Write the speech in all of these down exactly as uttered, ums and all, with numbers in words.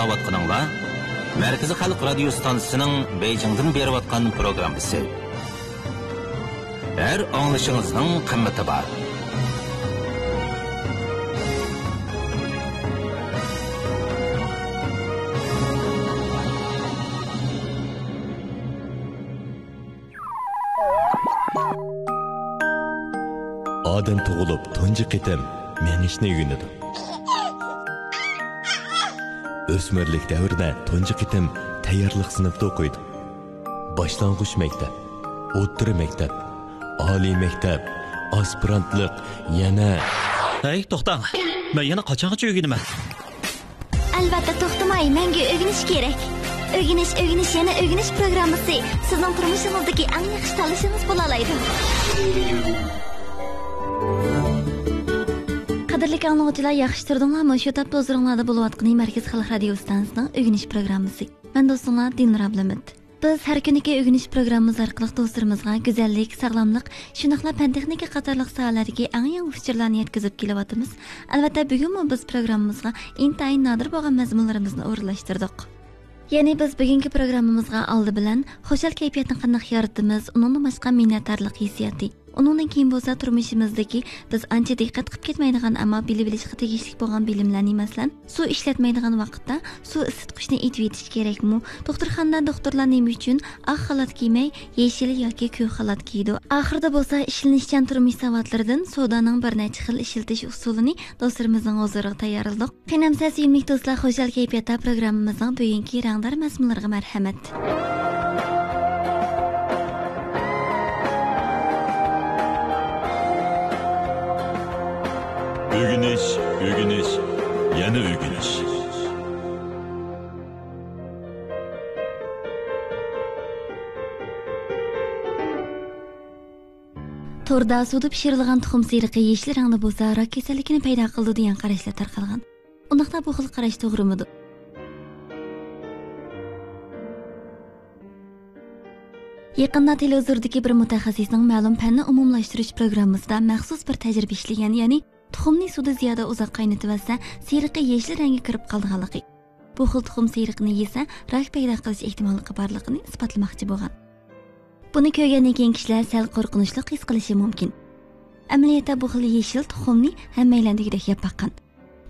ئاڭلاۋاتقىنىڭلار مەركىزىي خەلق رادىيو ستانسىسىنىڭ بېيجىڭدىن بېرىۋاتقان پروگراممىسى. ھەر ئاڭلىشىڭىزنىڭ قىممىتى بار. ئادەم تۇغۇلۇپ تۇنجى قېتىم مېڭىشنى ئۆگىنىدۇ. ئۆسمۈرلۈك دەۋرىدە تۇنجى قېتىم تەييارلىق سىنىپتا ئوقۇيدۇ. باشلانغۇچ مەكتەپ، ئوتتۇرا مەكتەپ، ئالىي مەكتەپ، ئاسپىرانتلىق، يەنە. ھەي، توختاڭ! مەن يەنە قاچانغىچە ئۆگىنىمەن؟ ئەلۋەتتە، توختىماي، مەڭگۈ ئۆگىنىش كېرەك. ئۆگىنىش، ئۆگىنىش، يەنە ئۆگىنىش پروگراممىسى سىزنىڭ تۇرمۇشىڭىزدىكى ئەڭ ياخشى تاللىشىڭىز بولالايدۇ. قەدىرلىك ئاڭلىغۇچىلار، ياخشى تۇردۇڭلارمۇ؟ شۇ تاپتا ھۇزۇرۇڭلاردا بولۇۋاتقىنى مەركىزىي خەلق رادىيو ئىستانسىسىنىڭ ئۆگىنىش پروگراممىسى. مەن دوستۇڭلار دىلنۇر ئابلىمىت. بىز ھەر كۈنلۈك ئۆگىنىش پروگراممىمىز ئارقىلىق دوستلىرىمىزغا گۈزەللىك، ساغلاملىق، شۇنداقلا پەن تېخنىكا قاتارلىق ساھەلەردىكى ئەڭ يېڭى ئۇچۇرلارنى يەتكۈزۈپ كېلىۋاتىمىز. ئەلۋەتتە، بۈگۈنمۇ بىز پروگراممىمىزغا ئىنتايىن نادىر بولغان مەزمۇنلىرىمىزنى ئورۇنلاشتۇردۇق. يەنى بىز بۈگۈنكى پروگراممىمىزغا ئالدى بىلەن خۇشال كەيپىياتنى قانداق يارىتىمىز، ئۇنىڭدىن باشقا مىننەتدارلىق ھېسسىياتى، ئۇنىڭدىن كېيىن بولسا تۇرمۇشىمىزدىكى بىز ئانچە دىققەت قىلىپ كەتمەيدىغان، ئەمما بىلىۋېلىشقا تېگىشلىك بولغان بىلىملەرنى، مەسىلەن، سۇ ئىشلەتمەيدىغان ۋاقىتتا سۇ ئىسسىتقۇچنى ئېتىۋېتىش كېرەكمۇ؟ دوختۇرخانىدا دوختۇرلار نېمە ئۈچۈن ئاق خالات كىيمەي، يېشىل ياكى كۆك خالات كىيىدۇ؟ ئاخىرىدا بولسا ئىشلىنىشچان تۇرمۇش ساۋاتلىرىدىن سودانىڭ بىر نەچچە خىل ئىشلىتىش ئۇسۇلىنى دوستلىرىمىزنىڭ ھۇزۇرىغا تەييارلىدۇق. قېنى ئەمىسە، سۆيۈملۈك دوستلار، خۇشال كەيپىياتتا پروگراممىمىزنىڭ بۈگۈنكى رەڭدار مەزمۇنلىرىغا مەرھەمەت. ئۆگىنىش، ئۆگىنىش، يەنە ئۆگىنىش. توردا سۇدا پىشۇرۇلغان تۇخۇم سېرىقى يېشىل رەڭدە بولسا، راك كېسەللىكىنى پەيدا قىلىدۇ دېگەن قاراشلار تارقالغان. ئۇنداقتا بۇ خىل قاراش توغرىمىدۇ؟ يېقىندا تېلېۋىزوردىكى بىر مۇتەخەسسىسنىڭ مەلۇم پەننى ئومۇملاشتۇرۇش پروگراممىسىدا مەخسۇس بىر تەجرىبە ئىشلىگەن، يەنى تۇخۇمنى سۇدا زىيادە ئۇزاق قاينىتىۋەتسە، سېرىقى يېشىل رەڭگە كىرىپ قالىدىغانلىقى. بۇ خىل تۇخۇم سېرىقىنى يېسە، راك پەيدا قىلىش ئېھتىماللىقى بارلىقىنى ئىسپاتلىماقچى بولغان. بۇنى كۆرگەندىن كېيىن كىشىلەر سەل قورقۇنچلۇق ھېس قىلىشى مۇمكىن. ئەمەلىيەتتە بۇ خىل يېشىل تۇخۇمنى ھەممەيلەن دېگۈدەك يەپ باققان.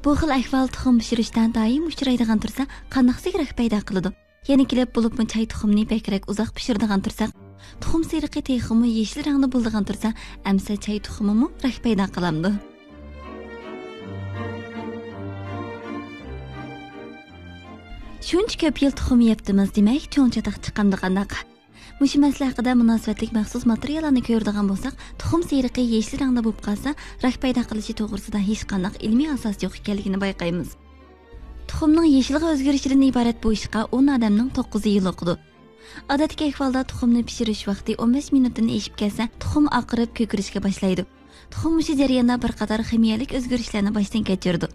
بۇ خىل ئەھۋال تۇخۇم پىشۇرۇشتا دائىم ئۇچرايدىغان تۇرسا، قانداقسىغا راك پەيدا قىلىدۇ؟ يەنە كېلىپ، بولۇپمۇ چاي تۇخۇمىنى بەكرەك ئۇزاق پىشۇرىدىغان تۇرساق، تۇخۇم سېرىقى تېخىمۇ يېشىل رەڭدە بولىدىغان تۇرسا، ئەمسە چاي تۇخۇمىمۇ راك پەيدا قىلامدۇ؟ شۇنچە كۆپ يىل تۇخۇم يەپتىمىز، دېمەك، چوڭ چاتاق چىقامدۇ قانداق؟ مۇشۇ مەسىلە ھەققىدە مۇناسىۋەتلىك مەخسۇس ماتېرىياللارنى كۆرىدىغان بولساق، تۇخۇم سېرىقى يېشىل رەڭدە بولۇپ قالسا، راك پەيدا قىلىشى توغرىسىدا ھېچقانداق ئىلمىي ئاساس يوق ئىكەنلىكىنى بايقايمىز. تۇخۇمنىڭ يېشىلغا ئۆزگىرىشىدىن ئىبارەت بۇ ئىشقا ئون ئادەمنىڭ توققۇزى يولۇقىدۇ. ئادەتتىكى ئەھۋالدا تۇخۇمنى پىشۇرۇش ۋاقتى ئون بەش مىنۇتتىن ئېشىپ كەتسە، تۇخۇم ئاقىرىپ كۆكىرىشكە باشلايدۇ. تۇخۇم مۇشۇ جەرياندا بىر قاتار خىمىيەلىك ئۆزگىرىشلەرنى باشتىن كەچۈرىدۇ.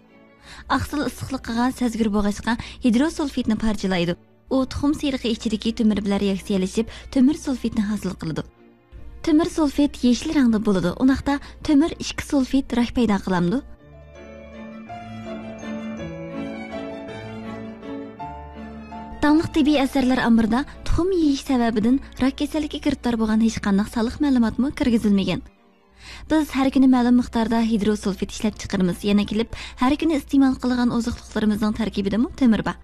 ئاقسىل ئىسسىقلىقىغا سەزگۈر بولغاچقا، ھىدروسۇلفىدنى پارچىلايدۇ. ئۇ تۇخۇم سېرىقى ئىچىدىكى تۆمۈر بىلەن رېئاكسىيەلىشىپ، تۆمۈر سۇلفىدنى ھاسىل قىلىدۇ. تۆمۈر سۇلفىد يېشىل رەڭدە بولىدۇ، ئۇنداقتا تۆمۈر ئىككى سۇلفىد راك پەيدا قىلامدۇ؟ داڭلىق تېببىي ئەسەرلەر ئامبىرىدا تۇخۇم يېيىش سەۋەبىدىن راك كېسەللىكىگە گىرىپتار بولغان ھېچقانداق سانلىق مەلۇماتمۇ كىرگۈزۈلمىگەن. بىز ھەر كۈنى مەلۇم مىقداردا ھىدروسۇلفىد ئىشلەپچىقىرىمىز، يەنە كېلىپ ھەر كۈنى ئىستېمال قىلىدىغان ئوزۇقلۇقلىرىمىزنىڭ تەركىبىدىمۇ تۆمۈر بار.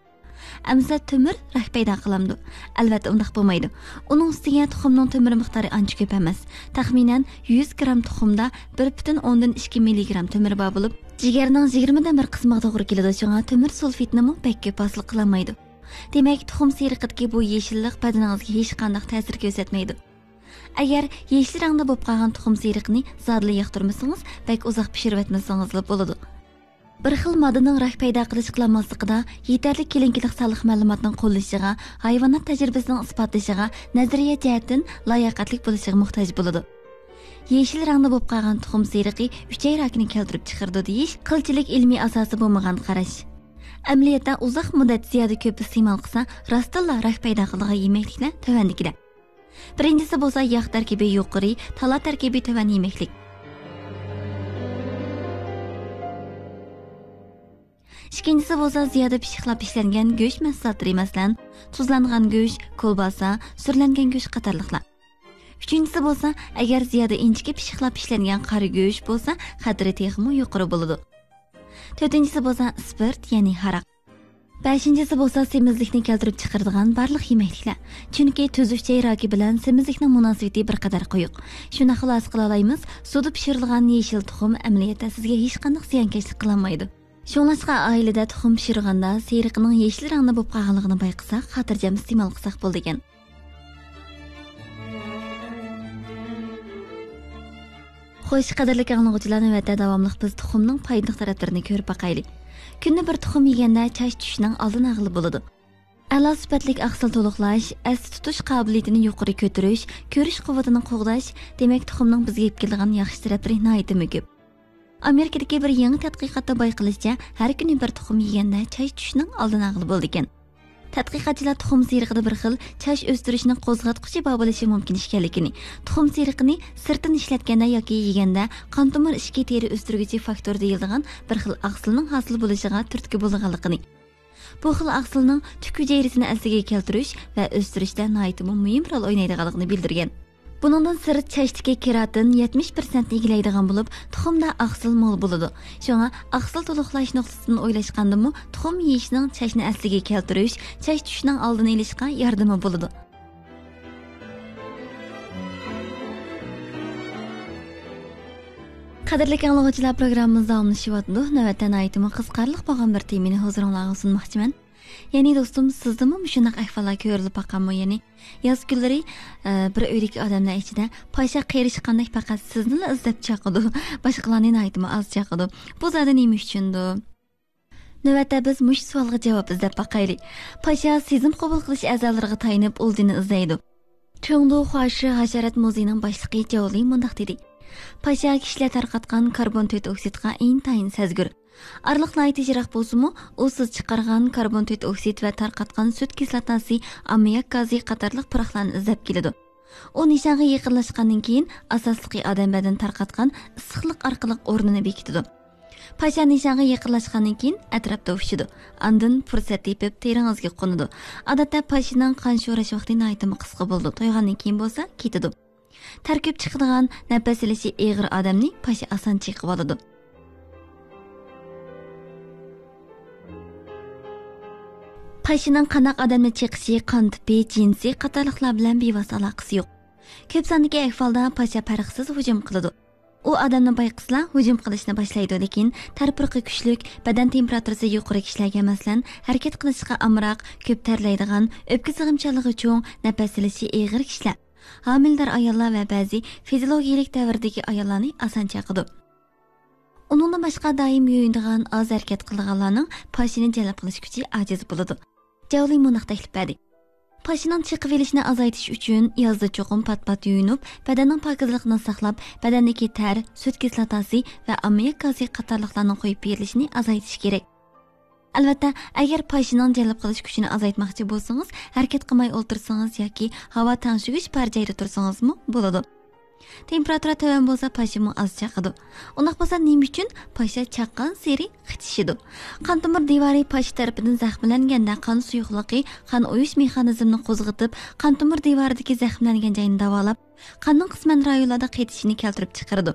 ئەمىسە تۆمۈر راك پەيدا قىلامدۇ؟ ئەلۋەتتە ئۇنداق بولمايدۇ. ئۇنىڭ ئۈستىگە تۇخۇمنىڭ تۆمۈر مىقدارى ئانچە كۆپ ئەمەس. تەخمىنەن يۈز گرام تۇخۇمدا بىر پۈتۈن ئوندىن ئىككى مىللىگرام تۆمۈر بار بولۇپ، جىگەرنىڭ يىگىرمىدىن بىر قىسمىغا توغرا كېلىدۇ، شۇڭا تۆمۈر سۇلفىدنىمۇ بەك كۆپ ھاسىل قىلالمايدۇ. دېمەك، تۇخۇم سېرىقىدىكى بۇ يېشىللىق بەدىنىڭىزگە ھېچقانداق تەسىر كۆرسەتمەيدۇ. ئەگەر يېشىل رەڭدە بولۇپ قالغان تۇخۇم سېرىقىنى زادىلا ياقتۇرمىسىڭىز، بەك ئۇزاق پىشۇرۇۋەتمىسىڭىزلا بولىدۇ. بىر خىل ماددىنىڭ راك پەيدا قىلىش قىلالماسلىقىدا يېتەرلىك كىلىنىكىلىق سانلىق مەلۇماتنىڭ قوللىشىغا، ھايۋانات تەجرىبىسىنىڭ ئىسپاتلىشىغا، نەزەرىيە جەھەتتىن لاياقەتلىك بولۇشىغا موھتاج بولىدۇ. يېشىل رەڭدە بولۇپ قالغان تۇخۇم سېرىقى ئۈچەي راكىنى كەلتۈرۈپ چىقىرىدۇ دېيىش قىلچىلىك ئىلمىي ئاساسى بولمىغان قاراش. ئەمەلىيەتتە ئۇزاق مۇددەت زىيادە كۆپ ئىستېمال قىلسا، راستتىنلا راك پەيدا قىلىدىغان يېمەكلىكلەر تۆۋەندىكىلەر. بىرىنچىسى بولسا ياغ تەركىبى يۇقىرى، تالا تەركىبى تۆۋەن يېمەكلىك. ئىككىنچىسى بولسا زىيادە پىششىقلاپ ئىشلەنگەن گۆش مەھسۇلاتلىرى، مەسىلەن، تۇزلانغان گۆش، كولباسا، سۈرلەنگەن گۆش قاتارلىقلار. ئۈچىنچىسى بولسا، ئەگەر زىيادە ئىنچىكە پىششىقلاپ ئىشلەنگەن قارا گۆش بولسا، خەتىرى تېخىمۇ يۇقىرى بولىدۇ. تۆتىنچىسى بولسا ئىسپىرت، يەنى ھاراق. بەشىنچىسى بولسا سېمىزلىكنى كەلتۈرۈپ چىقىرىدىغان بارلىق يېمەكلىكلەر. چۈنكى تۈزۈك چەي راكى بىلەن سېمىزلىكنىڭ مۇناسىۋىتى بىر قەدەر قويۇق. شۇنداق خۇلاسە قىلالايمىز، سۇدا پىشۇرۇلغان يېشىل تۇخۇم ئەمەلىيەتتە سىزگە ھېچقانداق زىيانكەشلىك قىلالمايدۇ. شۇڭلاشقا ئائىلىدە تۇخۇم پىشۇرغاندا سېرىقىنىڭ يېشىل رەڭدە بولۇپ قالغانلىقىنى بايقىساق، خاتىرجەم ئىستېمال قىلساق بولىدىكەن. خوش، قەدىرلىك ئاڭلىغۇچىلار، نۆۋەتتە داۋاملىق بىز تۇخۇمنىڭ پايدىلىق تەرەپلىرىنى كۆرۈپ باقايلى. كۈندە بىر تۇخۇم يېگەندە چاچ چۈشۈشنىڭ ئالدىنى ئالغىلى بولىدۇ. ئەلا سۈپەتلىك ئاقسىل تولۇقلاش، ئەستە تۇتۇش قابىلىيىتىنى يۇقىرى كۆتۈرۈش، كۆرۈش قۇۋۋىتىنى قوغداش، دېمەك، تۇخۇمنىڭ بىزگە ئېلىپ كېلىدىغان ياخشى تەرەپلىرى ناھايىتىمۇ كۆپ. ئامېرىكىدىكى بىر يېڭى تەتقىقاتتا بايقىلىشىچە، ھەر كۈنى بىر تۇخۇم يېگەندە چاچ چۈشۈشنىڭ ئالدىنى ئالغىلى بولىدىكەن. تەتقىقاتچىلار تۇخۇم سېرىقىدا بىر خىل چاچ ئۆستۈرۈشنى قوزغاتقۇچى بار بولۇشى مۇمكىن ئىكەنلىكىنى، تۇخۇم سېرىقىنى سىرتتىن ئىشلەتكەندە ياكى يېگەندە قان تومۇر ئىچكى تېرە ئۆستۈرگۈچى فاكتور دېيىلىدىغان بىر خىل ئاقسىلنىڭ ھاسىل بولۇشىغا تۈرتكە بولىدىغانلىقىنى، بۇ خىل ئاقسىلنىڭ تۈك ھۈجەيرىسىنى ئەسلىگە كەلتۈرۈش ۋە ئۆستۈرۈشتە ناھايىتىمۇ مۇھىم رول ئوينايدىغانلىقىنى بىلدۈرگەن. بۇنىڭدىن سىرت، چاچتىكى كېراتىن يەتمىش پىرسەنتنى ئىگىلەيدىغان بولۇپ، تۇخۇمدا ئاقسىل مول بولىدۇ. شۇڭا ئاقسىل تولۇقلاش نۇقتىسىدىن ئويلاشقاندىمۇ، تۇخۇم يېيىشنىڭ چاچنى ئەسلىگە كەلتۈرۈش، چاچ چۈشۈشنىڭ ئالدىنى ئېلىشقا ياردىمى بولىدۇ. قەدىرلىك ئاڭلىغۇچىلار، پروگراممىمىز داۋاملىشىۋاتىدۇ. نۆۋەتتە ناھايىتىمۇ قىزىقارلىق بولغان بىر تېمىنى ھۇزۇرۇڭلارغا سۇنماقچىمەن. يەنى دوستۇم، سىزدىمۇ مۇشۇنداق ئەھۋاللار كۆرۈلۈپ باققانمۇ؟ يەنى ياز كۈنلىرى، ئە، بىر ئۆيدىكى ئادەملەر ئىچىدە پاشا قېرىشقاندەك پەقەت سىزنىلا ئىزدەپ چاقىدۇ، باشقىلارنى ناھايىتىمۇ ئاز چاقىدۇ. بۇ زادى نېمە ئۈچۈندۇ؟ نۆۋەتتە بىز مۇشۇ سوئالغا جاۋاب ئىزدەپ باقايلى. پاشا سېزىم قوبۇل قىلىش ئەزالىرىغا تايىنىپ ئۇلجىنى ئىزدەيدۇ. چۇڭدۇ خۇاشى ھاشارات مۇزېيىنىڭ باشلىقى جاۋلى مۇنداق دېدى: پاشا كىشىلەر تارقاتقان كاربون تۆت ئوكسىدقا ئىنتايىن سەزگۈر. ئارىلىق ناھايىتى يىراق بولسىمۇ، ئۇ سىز چىقارغان كاربون تۆت ئوكسىد ۋە تارقاتقان سۈت كىسلاتاسى، ئاممىياك گازى قاتارلىق پۇراقلارنى ئىزدەپ كېلىدۇ. ئۇ نىشانغا يېقىنلاشقاندىن كېيىن، ئاساسلىقى ئادەم بەدىنى تارقاتقان ئىسسىقلىق ئارقىلىق ئورنىنى بېكىتىدۇ. پاشا نىشانغا يېقىنلاشقاندىن كېيىن، ئەتراپتا ئۇچىدۇ. ئاندىن پۇرسەت تېپىپ، تېرىڭىزگە قونىدۇ. ئادەتتە پاشىنىڭ قان شوراش ۋاقتى ناھايىتىمۇ قىسقا بولىدۇ. تويغاندىن كېيىن بولسا كېتىدۇ. تەركىب چىقىدىغان، نەپەس ئېلىشى ئېغىر ئادەمنى پاشا ئاسان چېقىۋالىدۇ. پاشىنىڭ قانداق ئادەمنى چېقىشى، قان تىپى، جىنسى قاتارلىقلار بىلەن بىۋاسىتە ئالاقىسى يوق. كۆپ ساندىكى ئەھۋالدا پاشا پەرقسىز ھۇجۇم قىلىدۇ. ئۇ ئادەمنى بايقىسىلا ھۇجۇم قىلىشنى باشلايدۇ، لېكىن تەر پۇرىقى كۈچلۈك، بەدەن تېمپېراتۇرىسى يۇقىرى كىشىلەرگە، مەسىلەن، ھەرىكەت قىلىشقا ئامراق، كۆپ تەرلەيدىغان، ئۆپكە سىغىمچانلىقى چوڭ، نەپەس ئېلىشى ئېغىر كىشىلەر، ھامىلىدار ئاياللار ۋە بەزى فىزىولوگىيەلىك دەۋردىكى ئاياللارنى ئاسان چاقىدۇ. ئۇنىڭدىن باشقا، دائىم يۇيۇنىدىغان، ئاز ھەرىكەت قىلىدىغانلارنىڭ پاشىنى جەلپ قىلىش كۈچى ئاجىز بولىدۇ. جاۋلى مۇنداق تەكلىپ بەردى: پاشىنىڭ چېقىۋېلىشنى ئازايتىش ئۈچۈن، يازدا چوقۇم پات-پات يۇيۇنۇپ، بەدەننىڭ پاكىزلىقىنى ساقلاپ، بەدەندىكى تەر، سۈت كىسلاتاسى ۋە ئاممىياك گازى قاتارلىقلارنىڭ قويۇپ بېرىلىشىنى ئازايتىش كېرەك. ئەلۋەتتە، ئەگەر پاشىنىڭ جەلپ قىلىش كۈچىنى ئازايتماقچى بولسىڭىز، ھەرىكەت قىلماي ئولتۇرسىڭىز ياكى ھاۋا تەڭشىگۈچ بار جايدا تۇرسىڭىزمۇ بولىدۇ. تېمپېراتۇرا تۆۋەن بولسا، پاشىمۇ ئاز چاقىدۇ. ئۇنداق بولسا، نېمە ئۈچۈن پاشا چاققانسېرى قىچىشىدۇ؟ قان تومۇر دىۋارى پاشا تەرىپىدىن زەخىملەنگەندە، قان سۇيۇقلۇقى قان ئۇيۇش مېخانىزمىنى قوزغىتىپ، قان تومۇر دىۋارىدىكى زەخىملەنگەن جاينى داۋالاپ، قاننىڭ قىسمەن رايونلاردا قېتىشىنى كەلتۈرۈپ چىقىرىدۇ.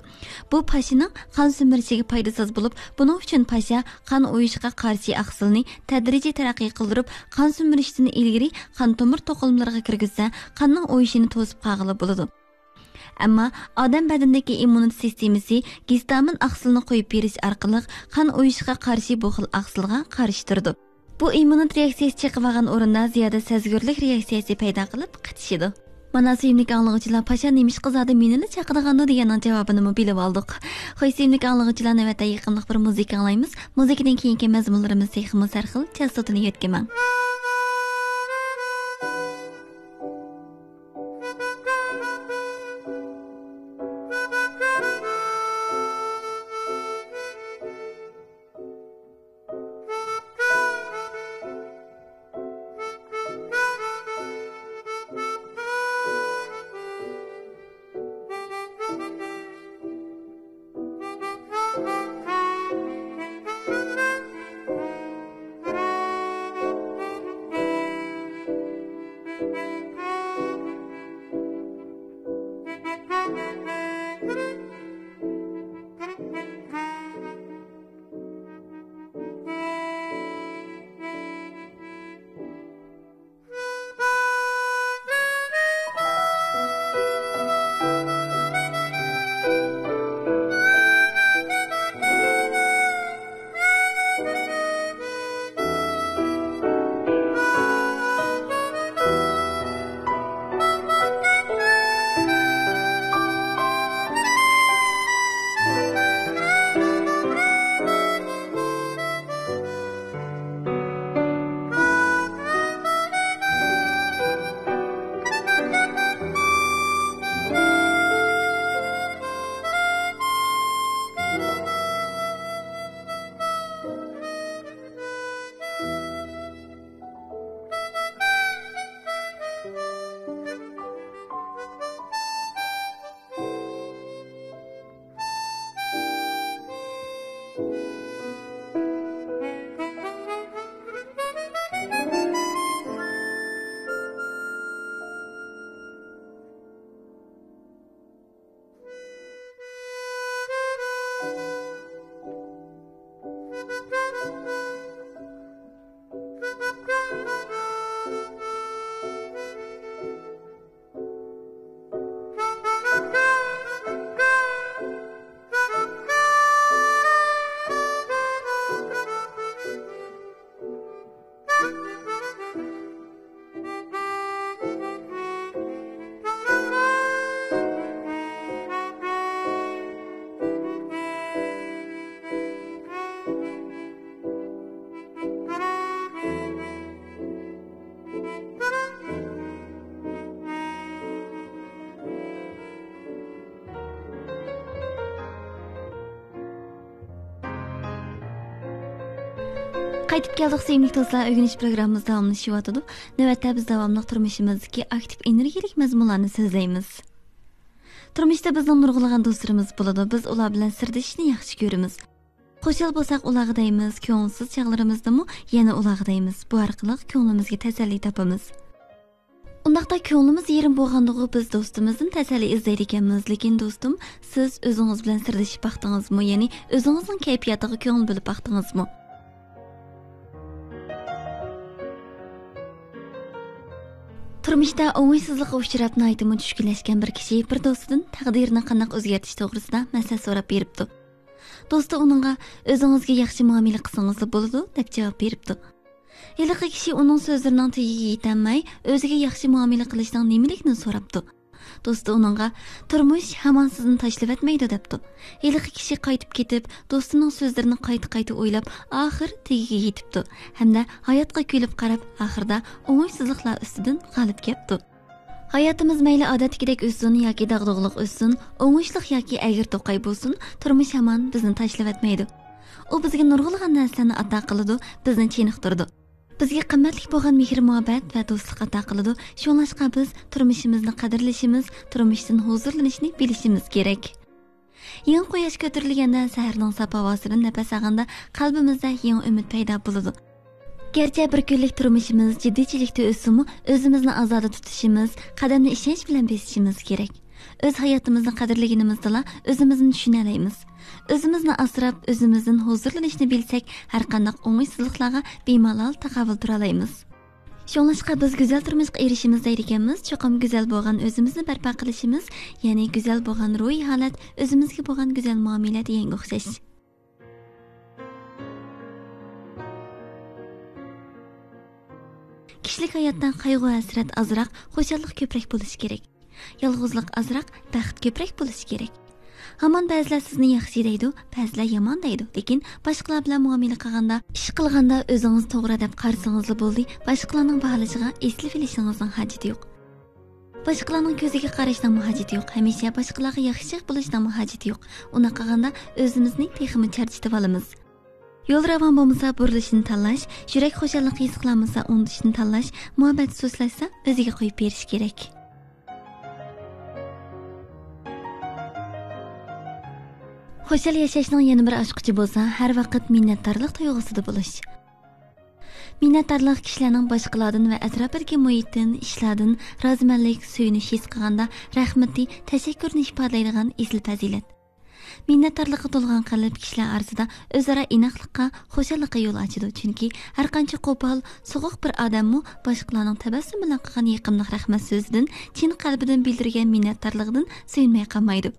بۇ پاشىنىڭ قان سۈمۈرۈشىگە پايدىسىز بولۇپ، بۇنىڭ ئۈچۈن پاشا قان ئۇيۇشقا قارشى ئاقسىلنى تەدرىجىي تەرەققىي قىلدۇرۇپ، قان سۈمۈرۈشتىن ئىلگىرى قان تومۇر توقۇلمىلىرىغا كىرگۈزسە، قاننىڭ ئۇيۇشىنى توسۇپ قالغىلى بولىدۇ. ئەمما ئادەم بەدىنىدىكى ئىممۇنىتېت سىستېمىسى گىستامىن ئاقسىلىنى قويۇپ بېرىش ئارقىلىق قان ئۇيۇشقا قارشى بۇ خىل ئاقسىلغا قارشى تۇرىدۇ. بۇ ئىممۇنىتېت رېئاكسىيەسى چېقىۋالغان ئورۇندا زىيادە سەزگۈرلۈك رېئاكسىيەسى پەيدا قىلىپ قىچىشىدۇ. مانا، سۆيۈملۈك ئاڭلىغۇچىلار، پاشا نېمىشقا زادى مېنىلا چاقىدىغاندۇ دېگەننىڭ جاۋابىنىمۇ بىلىۋالدۇق. خوش، سۆيۈملۈك ئاڭلىغۇچىلار، نۆۋەتتە يېقىملىق بىر مۇزىكا ئاڭلايمىز. مۇزىكىدىن كېيىنكى مەزمۇنلىرىمىز تېخىمۇ سەرخىل، چاستوتىنى يۆتكىمەڭ. قايتىپ كەلدۇق، سۆيۈملۈك دوستلار. ئۆگىنىش پروگراممىمىز داۋاملىشىۋاتىدۇ. نۆۋەتتە بىز داۋاملىق تۇرمۇشىمىزدىكى ئاكتىپ ئېنېرگىيەلىك مەزمۇنلارنى سۆزلەيمىز. تۇرمۇشتا بىزنىڭ نۇرغۇنلىغان دوستلىرىمىز بولىدۇ. بىز ئۇلار بىلەن سىردىشىشنى ياخشى كۆرىمىز. خۇشال بولساق ئۇلارغا دەيمىز، كۆڭۈلسىز چاغلىرىمىزدىمۇ يەنە ئۇلارغا دەيمىز. بۇ ئارقىلىق كۆڭلىمىزگە تەسەللى تاپىمىز. ئۇنداقتا كۆڭلىمىز يېرىم بولغاندىغۇ بىز دوستىمىزدىن تەسەللى ئىزدەيدىكەنمىز. لېكىن دوستۇم، سىز ئۆزىڭىز بىلەن سىردىشىپ باقتىڭىزمۇ؟ يەنى ئۆزىڭىزنىڭ كەيپىياتىغا كۆڭۈل بۆلۈپ باقتىڭىزمۇ؟ تۇرمۇشتا ئوڭۇشسىزلىققا ئۇچراپ ناھايىتىمۇ چۈشكۈنلەشكەن بىر كىشى بىر دوستىدىن تەقدىرىنى قانداق ئۆزگەرتىش توغرىسىدا مەسلىھەت سوراپ بېرىپتۇ. دوستى ئۇنىڭغا، «ئۆزىڭىزگە ياخشى مۇئامىلە قىلسىڭىزلا بولىدۇ» دەپ جاۋاب بېرىپتۇ. ھېلىقى كىشى ئۇنىڭ سۆزلىرىنىڭ تېگىگە يېتەلمەي، ئۆزىگە ياخشى مۇئامىلە قىلىشنىڭ نېمىلىكىنى سوراپتۇ. دوستى ئۇنىڭغا، «تۇرمۇش ھامان سىزنى تاشلىۋەتمەيدۇ» دەپتۇ. ھېلىقى كىشى قايتىپ كېتىپ، دوستىنىڭ سۆزلىرىنى قايتا-قايتا ئويلاپ، ئاخىر تېگىگە يېتىپتۇ ھەمدە ھاياتقا كۈلۈپ قاراپ، ئاخىرىدا ئوڭۇشسىزلىقلار ئۈستىدىن غالىب كەپتۇ. ھاياتىمىز مەيلى ئادەتتىكىدەك ئۆتسۇن ياكى داغدۇغىلىق ئۆتسۇن، ئوڭۇشلۇق ياكى ئەگرى-توقاي بولسۇن، تۇرمۇش ھامان بىزنى تاشلىۋەتمەيدۇ. ئۇ بىزگە نۇرغۇنلىغان نەرسىلەرنى ئاتا قىلىدۇ، بىزنى چېنىقتۇرىدۇ. بىزگە قىممەتلىك بولغان مېھىر-مۇھەببەت ۋە دوستلۇق ئاتا قىلىدۇ. شۇڭلاشقا بىز تۇرمۇشىمىزنى قەدىرلىشىمىز، تۇرمۇشتىن ھۇزۇرلىنىشنى بىلىشىمىز كېرەك. يېڭى قۇياش كۆتۈرۈلگەندە، سەھەرنىڭ ساپ ھاۋاسىدىن نەپەس ئالغاندا، قەلبىمىزدە يېڭى ئۈمىد پەيدا بولىدۇ. گەرچە بىر كۈنلۈك تۇرمۇشىمىز جىددىيچىلىكتە ئۆتسىمۇ، ئۆزىمىزنى ئازادە تۇتۇشىمىز، قەدەمنى ئىشەنچ بىلەن بېسىشىمىز كېرەك. ئۆز ھاياتىمىزنى قەدىرلىگىنىمىزدىلا ئۆزىمىزنى چۈشىنەلەيمىز. ئۆزىمىزنى ئاسراپ، ئۆزىمىزدىن ھۇزۇرلىنىشنى بىلسەك، ھەرقانداق ئوڭۇشسىزلىقلارغا بىمالال تاقابىل تۇرالايمىز. شۇڭلاشقا بىز گۈزەل تۇرمۇشقا ئېرىشىمىز دەيدىكەنمىز، چوقۇم گۈزەل بولغان ئۆزىمىزنى بەرپا قىلىشىمىز، يەنى گۈزەل بولغان روھىي ھالەت، ئۆزىمىزگە بولغان گۈزەل مۇئامىلە دېگەنگە ئوخشاش. كىشىلىك ھاياتتا قايغۇ-ھەسرەت ئازراق، خۇشاللىق كۆپرەك بولۇشى كېرەك. يالغۇزلۇق ئازراق، بەخت كۆپرەك بولۇشى كېرەك. ھامان بەزىلەر سىزنى ياخشى دەيدۇ، بەزىلەر يامان دەيدۇ. لېكىن باشقىلار بىلەن مۇئامىلە قىلغاندا، ئىش قىلغاندا ئۆزىڭىز توغرا دەپ قارىسىڭىزلا بولدى، باشقىلارنىڭ باھالىشىغا ئېسىلىۋېلىشىڭىزنىڭ ھاجىتى يوق. باشقىلارنىڭ كۆزىگە قاراشنىڭمۇ ھاجىتى يوق، ھەمىشە باشقىلارغا ياخشى بولۇشنىڭمۇ ھاجىتى يوق. ئۇنداق قىلغاندا ئۆزىمىزنى تېخىمۇ چارچىتىۋالىمىز. يول راۋان بولمىسا، بۇرۇلۇشنى تاللاش، يۈرەك خۇشاللىقى ھېس قىلالمىسا، ئۇنتۇشنى تاللاش، مۇھەببەت سۇسلاشسا، ئۆزىگە قويۇپ بېرىش كېرەك. خۇشال ياشاشنىڭ يەنە بىر ئاچقۇچى بولسا، ھەر ۋاقىت مىننەتدارلىق تۇيغۇسىدا بولۇش. مىننەتدارلىق كىشىلەرنىڭ باشقىلاردىن ۋە ئەتراپىدىكى مۇھىتتىن، ئىشلاردىن رازىمەنلىك، سۆيۈنۈش ھېس قىلغاندا رەھمىتى، تەشەككۈرىنى ئىپادىلەيدىغان ئېسىل پەزىلەت. مىننەتدارلىققا تولغان قەلب كىشىلەر ئارىسىدا ئۆزئارا ئىناقلىققا، خۇشاللىققا يول ئاچىدۇ. چۈنكى ھەرقانچە قوپال، سوغۇق بىر ئادەممۇ باشقىلارنىڭ تەبەسسۇم بىلەن قىلغان يېقىملىق رەھمەت سۆزىدىن، چىن قەلبىدىن بىلدۈرگەن مىننەتدارلىقىدىن سۆيۈنمەي قالمايدۇ.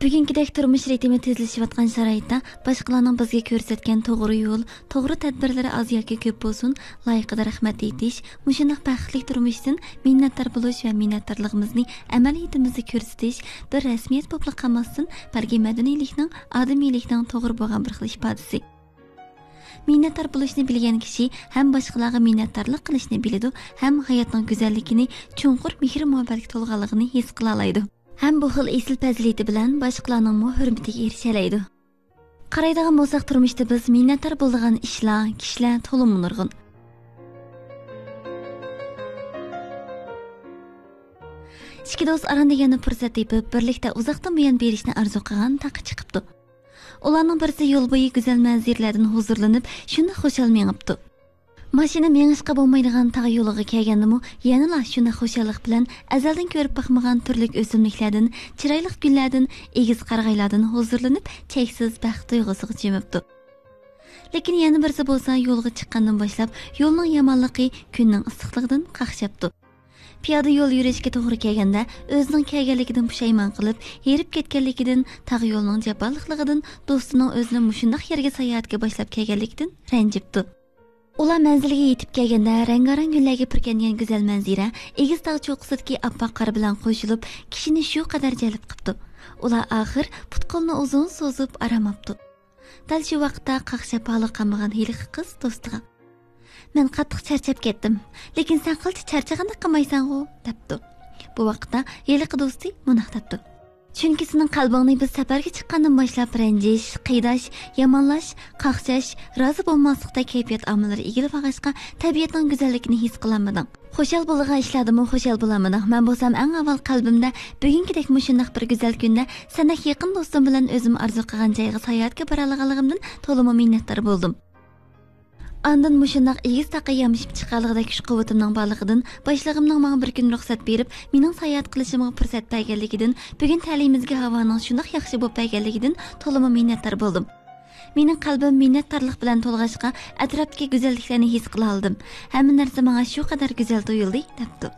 بۈگۈنكىدەك تۇرمۇش رىتىمى تېزلىشىۋاتقان شارائىتتا باشقىلارنىڭ بىزگە كۆرسەتكەن توغرا يول، توغرا تەدبىرلىرى ئاز ياكى كۆپ بولسۇن، لايىقىدا رەھمەت ئېيتىش، مۇشۇنداق بەختلىك تۇرمۇشتىن مىننەتدار بولۇش ۋە مىننەتدارلىقىمىزنى ئەمەلىيىتىمىزدە كۆرسىتىش بىر رەسمىيەت بولۇپلا قالماستىن، بەلكى مەدەنىيلىكنىڭ، ئادىمىيلىكنىڭ توغرا بولغان بىر خىل ئىپادىسى. مىننەتدار بولۇشنى بىلگەن كىشى ھەم باشقىلارغا مىننەتدارلىق قىلىشنى بىلىدۇ، ھەم ھاياتنىڭ گۈزەللىكىنى، چوڭقۇر مېھىر-مۇھەببەتكە تولغانلىقىنى ھېس قىلالايدۇ. ھەم بۇ خىل ئېسىل پەزىلىتى بىلەن باشقىلارنىڭمۇ ھۆرمىتىگە ئېرىشەلەيدۇ. قارايدىغان بولساق، تۇرمۇشتا بىز مىننەتدار بولىدىغان ئىشلار، كىشىلەر تولىمۇ نۇرغۇن. ئىككى دوست ئاران دېگەندە پۇرسەت تېپىپ، بىرلىكتە ئۇزاقتىن بۇيان بېرىشنى ئارزۇ قىلغان تاغقا چىقىپتۇ. ئۇلارنىڭ بىرسى يول بويى گۈزەل مەنزىرىلەردىن ھۇزۇرلىنىپ، شۇنداق خۇشال مېڭىپتۇ. ماشىنا مېڭىشقا بولمايدىغان تاغ يولىغا كەلگەندىمۇ يەنىلا شۇنداق خۇشاللىق بىلەن ئەزەلدىن كۆرۈپ باقمىغان تۈرلۈك ئۆسۈملۈكلەردىن، چىرايلىق گۈللەردىن، ئېگىز قارىغايلاردىن ھۇزۇرلىنىپ، چەكسىز بەخت تۇيغۇسىغا چۆمۈپتۇ. لېكىن يەنە بىرسى بولسا يولغا چىققاندىن باشلاپ يولنىڭ يامانلىقى، كۈننىڭ ئىسسىقلىقىدىن قاقشاپتۇ. پىيادە يول يۈرۈشكە توغرا كەلگەندە، ئۆزىنىڭ كەلگەنلىكىدىن پۇشايمان قىلىپ، ھېرىپ كەتكەنلىكىدىن، تاغ يولىنىڭ جاپالىقلىقىدىن، دوستىنىڭ ئۆزىنى مۇشۇنداق يەرگە ساياھەتكە باشلاپ كەلگەنلىكىدىن رەنجىپتۇ. ئۇلار مەنزىلگە يېتىپ كەلگەندە، رەڭگارەڭ گۈللەرگە پۈركەنگەن گۈزەل مەنزىرە ئېگىز تاغ چوققىسىدىكى ئاپئاق قار بىلەن قوشۇلۇپ، كىشىنى شۇ قەدەر جەلپ قىپتۇ. ئۇلار ئاخىر پۇت-قولىنى ئۇزۇن سوزۇپ ئارام ئاپتۇ. دەل شۇ ۋاقىتتا قاقشاپ ھالى قالمىغان ھېلىقى قىز دوستىغا، «مەن قاتتىق چارچاپ كەتتىم، لېكىن سەن قىلچە چارچىغاندەك قىلمايسەنغۇ؟» دەپتۇ. بۇ ۋاقىتتا ھېلىقى دوستى مۇنداق دەپتۇ، چۈنكى سېنىڭ قەلبىڭنى بىز سەپەرگە چىققاندىن باشلاپ رەنجىش، قىيناش، يامانلاش، قاقشاش، رازى بولماسلىقتەك كەيپىيات ئامىللىرى ئىگىلىۋالغاچقا، تەبىئەتنىڭ گۈزەللىكىنى ھېس قىلالمىدىڭ. خۇشال بولىدىغان ئىشلاردىمۇ خۇشال بولالمىدىڭ. مەن بولسام ئەڭ ئاۋۋال قەلبىمدە بۈگۈنكىدەك مۇشۇنداق بىر گۈزەل كۈندە سەندەك يېقىن دوستۇم بىلەن ئۆزۈم ئارزۇ قىلغان جايغا ساياھەتكە بارالىغانلىقىمدىن تولىمۇ مىننەتدار بولدۇم. ئاندىن مۇشۇنداق ئېگىز تاغقا يامىشىپ چىقالىغۇدەك كۈچ-قۇۋۋىتىمنىڭ بارلىقىدىن، باشلىقىمنىڭ ماڭا بىر كۈن رۇخسەت بېرىپ، مېنىڭ ساياھەت قىلىشىمغا پۇرسەت بەرگەنلىكىدىن، بۈگۈن تەلىيىمىزگە ھاۋانىڭ شۇنداق ياخشى بولۇپ بەرگەنلىكىدىن تولىمۇ مىننەتدار بولدۇم. مېنىڭ قەلبىم مىننەتدارلىق بىلەن تولغاچقا، ئەتراپتىكى گۈزەللىكلەرنى ھېس قىلالىدىم. ھەممە نەرسە ماڭا شۇ قەدەر گۈزەل تۇيۇلدى، دەپتۇ.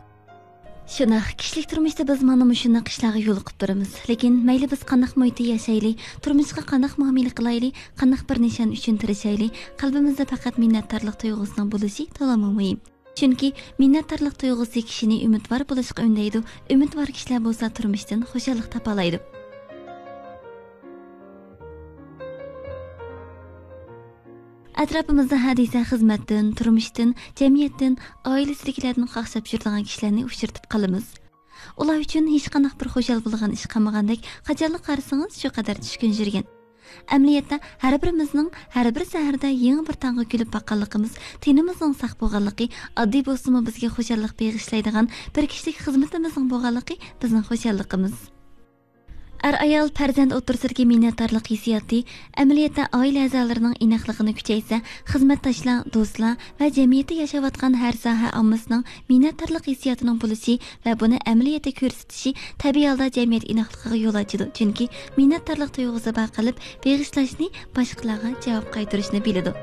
شۇنداق، كىشىلىك تۇرمۇشتا بىز مانا مۇشۇنداق ئىشلارغا يولۇقۇپ تۇرىمىز. لېكىن مەيلى بىز قانداق مۇھىتتا ياشايلى، تۇرمۇشقا قانداق مۇئامىلە قىلايلى، قانداق بىر نىشان ئۈچۈن تىرىشايلى، قەلبىمىزدە پەقەت مىننەتدارلىق تۇيغۇسىنىڭ بولۇشى تولىمۇ مۇھىم. چۈنكى مىننەتدارلىق تۇيغۇسى كىشىنى ئۈمىدۋار بولۇشقا ئۈندەيدۇ، ئۈمىدۋار كىشىلەر بولسا تۇرمۇشتىن خۇشاللىق تاپالايدۇ. ئەتراپىمىزدا ھە دېسە خىزمەتتىن، تۇرمۇشتىن، جەمئىيەتتىن، ئائىلىسىدىكىلەردىن قاقشاپ يۈرىدىغان كىشىلەرنى ئۇچرىتىپ قالىمىز. ئۇلار ئۈچۈن ھېچقانداق بىر خۇشال بولىدىغان ئىش قالمىغاندەك، قاچانلا قارىسىڭىز شۇ قەدەر چۈشكۈن يۈرگەن. ئەمەلىيەتتە، ھەر بىرىمىزنىڭ ھەر بىر سەھەردە يېڭى بىر تاڭغا كۈلۈپ باققانلىقىمىز، تېنىمىزنىڭ ساق بولغانلىقى، ئاددىي بولسىمۇ بىزگە خۇشاللىق بېغىشلايدىغان بىر كىشىلىك خىزمىتىمىزنىڭ بولغانلىقى بىزنىڭ خۇشاللىقىمىز. ئەر-ئايال، پەرزەنت ئوتتۇرىسىدىكى مىننەتدارلىق ھېسسىياتى ئەمەلىيەتتە ئائىلە ئەزالىرىنىڭ ئىناقلىقىنى كۈچەيتسە، خىزمەتداشلار، دوستلار ۋە جەمئىيەتتە ياشاۋاتقان ھەر ساھە ئاممىسىنىڭ مىننەتدارلىق ھېسسىياتىنىڭ بولۇشى ۋە بۇنى ئەمەلىيەتتە كۆرسىتىشى تەبىئىي ھالدا جەمئىيەت ئىناقلىقىغا يول ئاچىدۇ. چۈنكى مىننەتدارلىق تۇيغۇسى بار قەلب بېغىشلاشنى، باشقىلارغا جاۋاب قايتۇرۇشنى بىلىدۇ.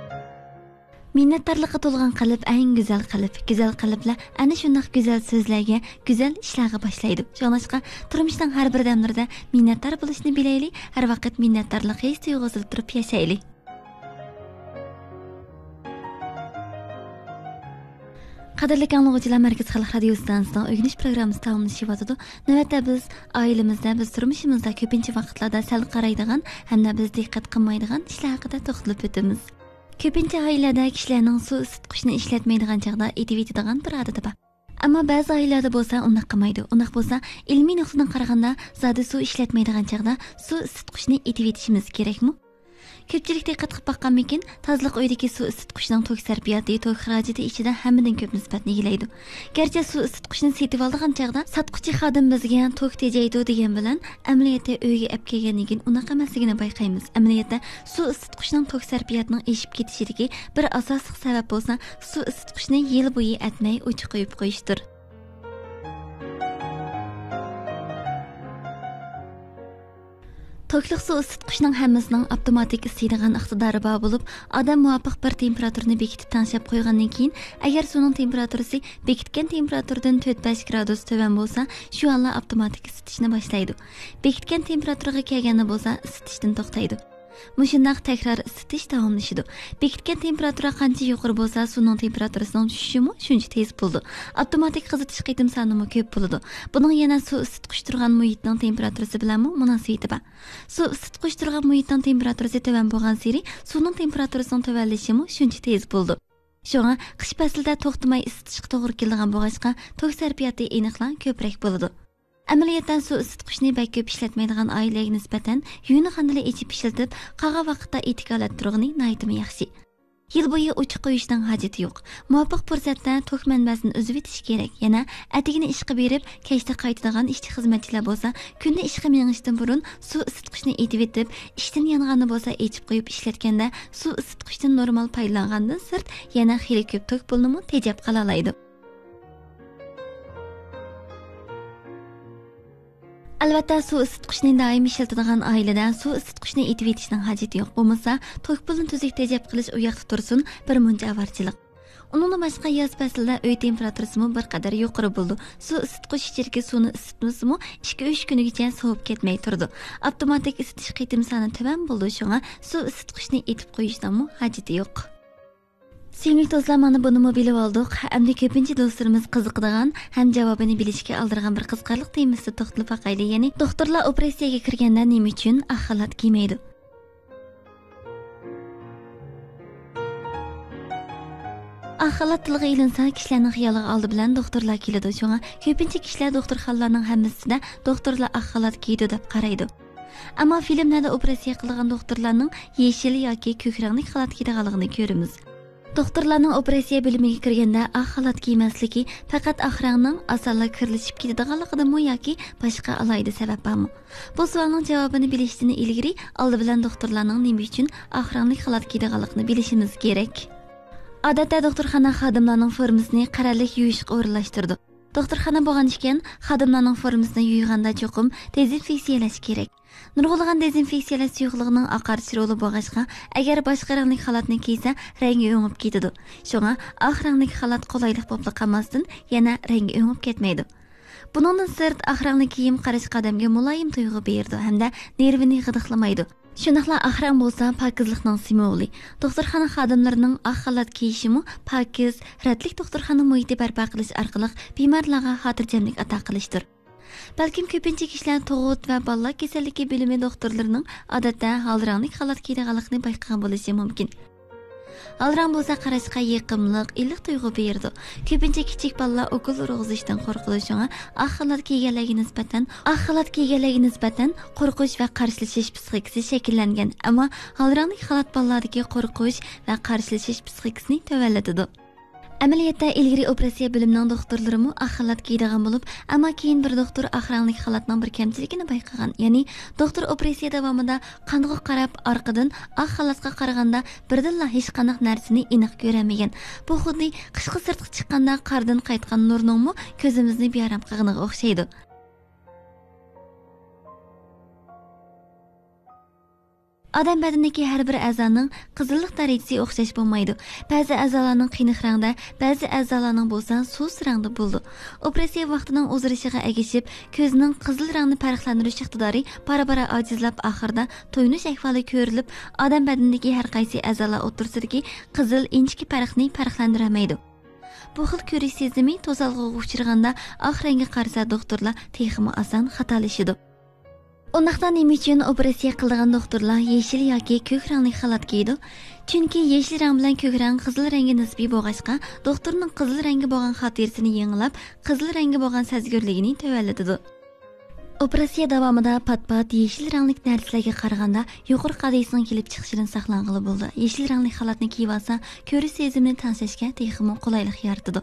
مىننەتدارلىققا تولغان قەلب ئەڭ گۈزەل قەلب. گۈزەل قەلبلەر ئەنە شۇنداق گۈزەل سۆزلەرگە، گۈزەل ئىشلارغا باشلايدۇ. شۇڭلاشقا، تۇرمۇشنىڭ ھەر بىر دەملىرىدە مىننەتدار بولۇشنى بىلەيلى، ھەر ۋاقىت مىننەتدارلىق ھېس تۇيغۇسىدا تۇرۇپ ياشايلى. قەدىرلىك ئاڭلىغۇچىلار، مەركىزىي خەلق رادىيو ئىستانسىسىنىڭ ئۆگىنىش پروگراممىسى تاماملىشىۋاتىدۇ. نۆۋەتتە بىز ئائىلىمىزدە، بىز تۇرمۇشىمىزدا كۆپىنچە ۋاقىتلاردا سەل قارايدىغان ھەمدە بىز دىققەت قىلمايدىغان ئىشلار ھەققىدە توختىلىپ ئۆتىمىز. كۆپىنچە ئائىلىلەردە كىشىلەرنىڭ سۇ ئىسسىتقۇچنى ئىشلەتمەيدىغان چاغدا ئېتىۋېتىدىغان بىر ئادىتى بار. ئەمما بەزى ئائىلىلەردە بولسا ئۇنداق قىلمايدۇ. ئۇنداق بولسا، ئىلمىي نۇقتىدىن قارىغاندا، زادى سۇ ئىشلەتمەيدىغان چاغدا سۇ ئىسسىتقۇچنى ئېتىۋېتىشىمىز كېرەكمۇ؟ كۆپچىلىك دىققەت قىلىپ باققانمىكىن، تازىلىق ئۆيىدىكى سۇ ئىسسىتقۇچنىڭ توك سەرپىياتى توك خىراجىتى ئىچىدە ھەممىدىن كۆپ نىسبەتنى ئىگىلەيدۇ. گەرچە سۇ ئىسسىتقۇچنى سېتىۋالىدىغان چاغدا ساتقۇچى خادىم بىزگە توك تېجەيدۇ دېگەن بىلەن، ئەمەلىيەتتە ئۆيگە ئەپ كەلگەندىن كېيىن ئۇنداق ئەمەسلىكىنى بايقايمىز. ئەمەلىيەتتە سۇ ئىسسىتقۇچنىڭ توك سەرپىياتىنىڭ ئېشىپ كېتىشىدىكى بىر ئاساسلىق سەۋەب بولسا، سۇ ئىسسىتقۇچنى يىل بويى ئەتمەي ئوچۇق قويۇپ قويۇشتۇر. توكلۇق سۇ ئىسسىتقۇچنىڭ ھەممىسىنىڭ ئاپتوماتىك ئىسسىيدىغان ئىقتىدارى بار بولۇپ، ئادەم مۇۋاپىق بىر تېمپېراتۇرىنى بېكىتىپ تەڭشەپ قويغاندىن كېيىن، ئەگەر سۇنىڭ تېمپېراتۇرىسى بېكىتكەن تېمپېراتۇرىدىن تۆت بەش گرادۇس تۆۋەن بولسا، شۇ ھالدا ئاپتوماتىك ئىسسىتىشنى باشلايدۇ. بېكىتكەن تېمپېراتۇرىغا كەلگەندە بولسا، ئىسسىتىشتىن توختايدۇ. مۇشۇنداق تەكرار ئىسسىتىش داۋاملىشىدۇ. بېكىتكەن تېمپېراتۇرا قانچە يۇقىرى بولسا، سۇنىڭ تېمپېراتۇرىسىنىڭ چۈشۈشىمۇ شۇنچە تېز بولىدۇ. ئاپتوماتىك قىزىتىش قېتىم سانىمۇ كۆپ بولىدۇ. بۇنىڭ يەنە سۇ ئىسسىتقۇچ تۇرغان مۇھىتنىڭ تېمپېراتۇرىسى بىلەنمۇ مۇناسىۋىتى بار. سۇ ئىسسىتقۇچ تۇرغان مۇھىتنىڭ تېمپېراتۇرىسى تۆۋەن بولغانسېرى، سۇنىڭ تېمپېراتۇرىسىنىڭ تۆۋەنلىشىمۇ شۇنچە تېز بولىدۇ. شۇڭا قىش پەسلىدە توختىماي ئىسسىتىشقا توغرا كېلىدىغان بولغاچقا، توك سەرپىياتى ئېنىقلا كۆپرەك بولىدۇ. ئەمەلىيەتتە سۇ ئىسسىتقۇچنى بەك كۆپ ئىشلەتمەيدىغان ئائىلىلەرگە نىسبەتەن يۇيۇنغاندىلا ئېچىپ ئىشلىتىپ، قالغان ۋاقىتتا ئېتىك ھالەتتە تۇرغىنى ناھايىتىمۇ ياخشى. يىل بويى ئوچۇق قويۇشنىڭ ھاجىتى يوق. مۇۋاپىق پۇرسەتتە توك مەنبەسىنى ئۈزۈۋېتىش كېرەك. يەنە ئەتىگىنى ئىشقا بېرىپ، كەچتە قايتىدىغان ئىشچى-خىزمەتچىلەر بولسا، كۈندە ئىشقا مېڭىشتىن بۇرۇن سۇ ئىسسىتقۇچنى ئېتىۋېتىپ، ئىشتىن يانغاندا بولسا ئېچىپ قويۇپ ئىشلەتكەندە، سۇ ئىسسىتقۇچتىن نورمال پايدىلاندىن سىرت يەنە خېلى كۆپ توك پۇلىنىمۇ تېجەپ قالالايدۇ. ئەلۋەتتە، سۇ ئىسسىتقۇچنى دائىم ئىشلىتىدىغان ئائىلىدە سۇ ئىسسىتقۇچنى ئېتىۋېتىشنىڭ ھاجىتى يوق. بولمىسا، توك پۇلىنى تۈزۈك تېجەپ قىلىش ئۇ ياقتا تۇرسۇن، بىر مۇنچە ئاۋارىچىلىق. ئۇنىڭدىن باشقا، ياز پەسلىدە ئۆي تېمپېراتۇرىسىمۇ بىر قەدەر يۇقىرى بولىدۇ. سۇ ئىسسىتقۇچ ئىچىدىكى سۇنى ئىسسىتمىسىمۇ، ئىككى ئۈچ كۈنىگىچە سوۋۇپ كەتمەي تۇرىدۇ. ئاپتوماتىك ئىسسىتىش قېتىم سانى تۆۋەن بولىدۇ، شۇڭا سۇ ئىسسىتقۇچنى ئېتىپ قويۇشنىڭمۇ ھاجىتى يوق. سۆيۈملۈك دوستلار، مانا بۇنىمۇ بىلىۋالدۇق. ئەمدى كۆپىنچە دوستلىرىمىز قىزىقىدىغان ھەم جاۋابىنى بىلىشكە ئالدىرىغان بىر قىزىقارلىق تېمىسىدا توختىلىپ باقايلى. يەنى، دوختۇرلار ئوپېراتسىيەگە كىرگەندە نېمە ئۈچۈن ئاق خالات كىيمەيدۇ؟ ئاق خالات تىلغا ئېلىنسا، كىشىلەرنىڭ خىيالىغا ئالدى بىلەن دوختۇرلار كېلىدۇ. شۇڭا كۆپىنچە كىشىلەر دوختۇرخانىلارنىڭ ھەممىسىدە دوختۇرلار ئاق خالات كىيىدۇ دەپ قارايدۇ. ئەمما فىلىملەردە ئوپېراتسىيە قىلىدىغان دوختۇرلارنىڭ يېشىل ياكى كۆك رەڭلىك خالات كىيىدىغانلىقىنى كۆرىمىز. دوختۇرلارنىڭ ئوپېراتسىيە بۆلۈمىگە كىرگەندە ئاق خالات كىيمەسلىكى پەقەت ئاق رەڭنىڭ ئاسانلا كىرلىشىپ كېتىدىغانلىقىدىمۇ ياكى باشقا ئالاھىدە سەۋەب بارمۇ؟ بۇ سوئالنىڭ جاۋابىنى بىلىشتىن ئىلگىرى، ئالدى بىلەن دوختۇرلارنىڭ نېمە ئۈچۈن ئاق رەڭلىك خالات كىيىدىغانلىقىنى بىلىشىمىز كېرەك. ئادەتتە دوختۇرخانا خادىملارنىڭ فورمىسىنى قەرەللىك يۇيۇشقا ئورۇنلاشتۇرىدۇ. دوختۇرخانا بولغان ئىكەن، خادىملارنىڭ فورمىسىنى يۇيغاندا چوقۇم دېزىنفېكسىيەلەش كېرەك. نۇرغۇنلىغان دېزىنفېكسىيەلەش سۇيۇقلۇقىنىڭ ئاقارتىش رولى بولغاچقا، ئەگەر باشقا رەڭلىك خالاتنى كىيسە، رەڭگى ئۆڭۈپ كېتىدۇ. شۇڭا ئاق رەڭلىك خالات قولايلىق بولۇپلا قالماستىن، يەنە رەڭگى ئۆڭۈپ كەتمەيدۇ. بۇنىڭدىن سىرت، ئاق رەڭلىك كىيىم قاراشقا ئادەمگە مۇلايىم تۇيغۇ بېرىدۇ ھەمدە نېرۋىنى غىدىقلىمايدۇ. شۇنداقلا ئاق رەڭ بولسا پاكىزلىقنىڭ سىمۋولى. دوختۇرخانا خادىملىرىنىڭ ئاق خالات كىيىشىمۇ پاكىز، رەتلىك دوختۇرخانا مۇھىتى بەرپا قىلىش ئارقىلىق بىمارلارغا خاتىرجەملىك ئاتا قىلىشتۇر. بەلكىم كۆپىنچە كىشىلەر تۇغۇت ۋە بالىلار كېسەللىكى بۆلۈمى دوختۇرلىرىنىڭ ئادەتتە ھال رەڭلىك خالات كىيىدىغانلىقىنى بايقىغان بولۇشى مۇمكىن. ھال رەڭ بولسا قاراشقا يېقىملىق، ئىللىق تۇيغۇ بېرىدۇ. كۆپىنچە كىچىك بالىلار ئوكۇل ئۇرغۇزۇشتىن قورقىدۇ، شۇڭا ئاق خالات كىيگەنلەرگە نىسبەتەن، ئاق خالات كىيگەنلەرگە نىسبەتەن قورقۇش ۋە قارشىلىشىش پسىخىكىسى شەكىللەنگەن، ئەمما ھال رەڭلىك خالات بالىلاردىكى قورقۇش ۋە قارشىلىشىش پسىخىكىسىنى تۆۋەنلىتىدۇ. ئەمەلىيەتتە، ئىلگىرى ئوپېراتسىيە بۆلۈمىنىڭ دوختۇرلىرىمۇ ئاق خالات كىيىدىغان بولۇپ، ئەمما كېيىن بىر دوختۇر ئاق رەڭلىك خالاتنىڭ بىر كەمچىلىكىنى بايقىغان. يەنى، دوختۇر ئوپېراتسىيە داۋامىدا قانغا قاراپ، ئارقىدىن ئاق خالاتقا قارىغاندا بىردىنلا ھېچقانداق نەرسىنى ئېنىق كۆرەلمىگەن. بۇ خۇددى قىشقا سىرتقا چىققاندا قاردىن قايتقان نۇرنىڭمۇ كۆزىمىزنى بىئارام قىلغىنىغا ئوخشايدۇ. ئادەم بەدىنىدىكى ھەر بىر ئەزانىڭ قىزىللىق دەرىجىسى ئوخشاش بولمايدۇ. بەزى ئەزالارنىڭ قېنىق رەڭدە، بەزى ئەزالارنىڭ بولسا سۇس رەڭدە بولىدۇ. ئوپېراتسىيە ۋاقتىنىڭ ئۇزىرىشىغا ئەگىشىپ، كۆزنىڭ قىزىل رەڭنى پەرقلەندۈرۈش ئىقتىدارى بارا-بارا ئاجىزلاپ، ئاخىرىدا تويۇنۇش ئەھۋالى كۆرۈلۈپ، ئادەم بەدىنىدىكى ھەر قايسى ئەزالار ئوتتۇرىسىدىكى قىزىل ئىنچىكە پەرقنى پەرقلەندۈرەلمەيدۇ. بۇ خىل كۆرۈش سېزىمى توسالغۇغا ئۇچرىغاندا، ئاق رەڭگە قارىسا، دوختۇرلار تېخىمۇ ئاسان خاتالىشىدۇ. ئۇنداقتا نېمە ئۈچۈن ئوپېراتسىيە قىلىدىغان دوختۇرلار يېشىل ياكى كۆك رەڭلىك خالات كىيىدۇ؟ چۈنكى يېشىل رەڭ بىلەن كۆك رەڭ قىزىل رەڭگە نىسبىي بولغاچقا، دوختۇرنىڭ قىزىل رەڭگە بولغان خاتىرىسىنى يېڭىلاپ، قىزىل رەڭگە بولغان سەزگۈرلۈكىنى تۆۋەنلىتىدۇ. ئوپېراتسىيە داۋامىدا پات-پات يېشىل رەڭلىك نەرسىلەرگە قارىغاندا، يۇقىرى قادىيىسىنىڭ كېلىپ چىقىشىدىن ساقلانغىلى بولىدۇ. يېشىل رەڭلىك خالاتنى كىيىۋالسا، كۆرۈش سېزىمىنى تەڭشەشكە تېخىمۇ قولايلىق يارىتىدۇ.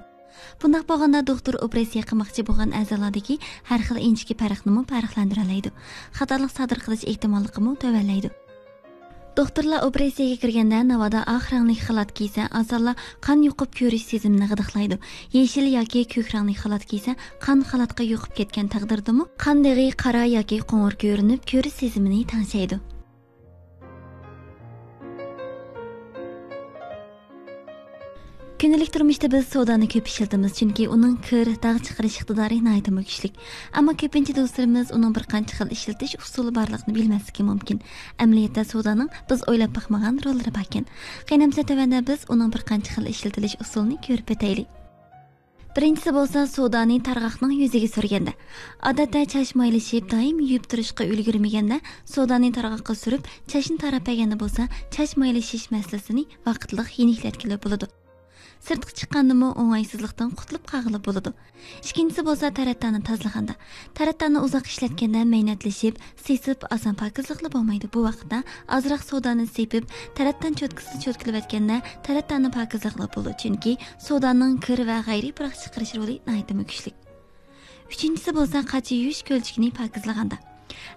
بۇنداق بولغاندا، دوختۇر ئوپېراتسىيە قىلماقچى بولغان ئەزالاردىكى ھەر خىل ئىنچىكە پەرقنىمۇ پەرقلەندۈرەلەيدۇ. خاتالىق سادىر قىلىش ئېھتىماللىقىمۇ تۆۋەنلەيدۇ. دوختۇرلار ئوپېراتسىيەگە كىرگەندە، ناۋادا ئاق رەڭلىك خالات كىيسە، ئاسانلا قان يۇقۇپ كۆرۈش سېزىمىنى غىدىقلايدۇ. يېشىل ياكى كۆك رەڭلىك خالات كىيسە، قان خالاتقا يۇقۇپ كەتكەن تەقدىردىمۇ، قان دېغى قارا ياكى قوڭۇر كۆرۈنۈپ، كۆرۈش سېزىمىنى تەڭشەيدۇ. كۈندىلىك تۇرمۇشتا بىز سودانى كۆپ ئىشلىتىمىز، چۈنكى ئۇنىڭ كىر، داغ چىقىرىش ئىقتىدارى ناھايىتىمۇ كۈچلۈك. ئەمما كۆپىنچە دوستلىرىمىز ئۇنىڭ بىر قانچە خىل ئىشلىتىش ئۇسۇلى بارلىقىنى بىلمەسلىكى مۇمكىن. ئەمەلىيەتتە سودانىڭ بىز ئويلاپ باقمىغان روللىرى باركەن. قېنى ئەمسە تۆۋەندە بىز ئۇنىڭ بىر قانچە خىل ئىشلىتىلىش ئۇسۇلىنى كۆرۈپ ئۆتەيلى. بىرىنچىسى بولسا سودانى تارغاقنىڭ يۈزىگە سۈرگەندە. ئادەتتە چاچ مايلىشىپ، دائىم يۇيۇپ تۇرۇشقا ئۈلگۈرمىگەندە، سودانى تارغاققا سۈرۈپ، چاچنى تاراپ بەرگەندە بولسا، چاچ مايلىشىش مەسىلىسىنى ۋاقىتلىق يېنىكلەتكىلى بولىدۇ. سىرتقا چىققاندىمۇ ئوڭايسىزلىقتىن قۇتۇلۇپ قالغىلى بولىدۇ. ئىككىنچىسى بولسا تەرەتتاننى تازىلىغاندا. تەرەتتاننى ئۇزاق ئىشلەتكەندە مەينەتلىشىپ، سېسىپ، ئاسان پاكىزلىقلا بولمايدۇ. بۇ ۋاقىتتا ئازراق سودانى سېپىپ، تەرەتتان چوتكىسىنى چوتكىلىۋەتكەندە، تەرەتتاننى پاكىزلىقلا بولىدۇ. چۈنكى سودانىڭ كىر ۋە غەيرىي پۇراق چىقىرىش رولى ناھايىتىمۇ كۈچلۈك. ئۈچىنچىسى بولسا قاچا يۇيۇش كۆلچىكىنى پاكىزلىغاندا.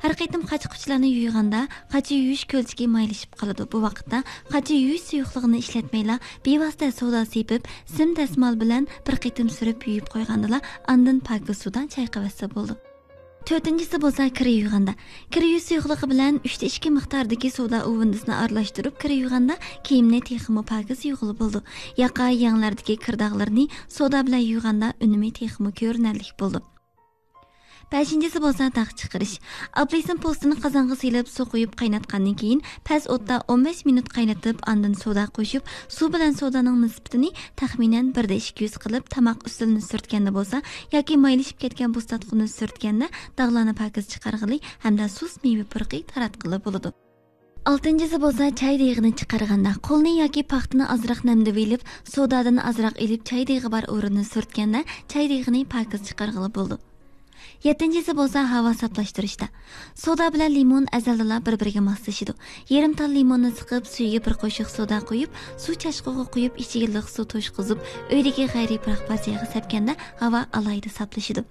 ھەر قېتىم قاچا-قۇچىلارنى يۇيغاندا، قاچا يۇيۇش كۆلچىكى مايلىشىپ قالىدۇ. بۇ ۋاقىتتا قاچا يۇيۇش سۇيۇقلۇقىنى ئىشلەتمەيلا، بىۋاسىتە سودا سېپىپ، سىم دەسمال بىلەن بىر قېتىم سۈرۈپ يۇيۇپ قويغاندىلا، ئاندىن پاكىز سۇدا چايقىۋەتسە بولىدۇ. تۆتىنچىسى بولسا كىر يۇيغاندا. كىر يۇيۇش سۇيۇقلۇقى بىلەن ئۈچتە ئىككى مىقداردىكى سودا ئۇۋۇندىسىنى ئارىلاشتۇرۇپ كىر يۇيغاندا، كىيىمنى تېخىمۇ پاكىز يۇيغىلى بولىدۇ. ياقا، يەڭلەردىكى كىر داغلىرىنى سودا بىلەن يۇيغاندا ئۈنۈمى تېخىمۇ كۆرۈنەرلىك بولىدۇ. بەشىنچىسى بولسا داغ چىقىرىش. ئاپېلسىن پوستىنى قازانغا سېلىپ، سۇ قۇيۇپ قايناتقاندىن كېيىن، پەس ئوتتا ئون بەش مىنۇت قاينىتىپ، ئاندىن سودا قوشۇپ، سۇ بىلەن سودانىڭ نىسبىتىنى تەخمىنەن بىردە ئىككى يۈز قىلىپ، تاماق ئۈستىلىنى سۈرتكەندە بولسا ياكى مايلىشىپ كەتكەن بۇس تارتقۇنى سۈرتكەندە داغلارنى پاكىز چىقارغىلى ھەمدە سۇس مېۋە پۇرىقى تاراتقىلى بولىدۇ. ئالتىنچىسى بولسا چاي دېغىنى چىقارغاندا، قولنى ياكى پاختىنى ئازراق نەمدىۋېلىپ، سودادىن ئازراق ئېلىپ، چاي دېغى بار ئورۇننى سۈرتكەندە، چاي دېغىنى پاكىز چىقارغىلى بولىدۇ. يەتتىنچىسى بولسا ھاۋا ساپلاشتۇرۇشتا. سودا بىلەن لىمون ئەزەلدىلا بىر-بىرىگە ماسلىشىدۇ. يېرىم تال لىموننى سىقىپ، سۈيىگە بىر قوشۇق سودا قۇيۇپ، سۇ چاچقۇغا قۇيۇپ، ئىچىگە لىق سۇ توشقۇزۇپ، ئۆيدىكى غەيرىي پۇراق پارچىغا سەپكەندە، ھاۋا ئالاھىدە ساپلىشىدۇ.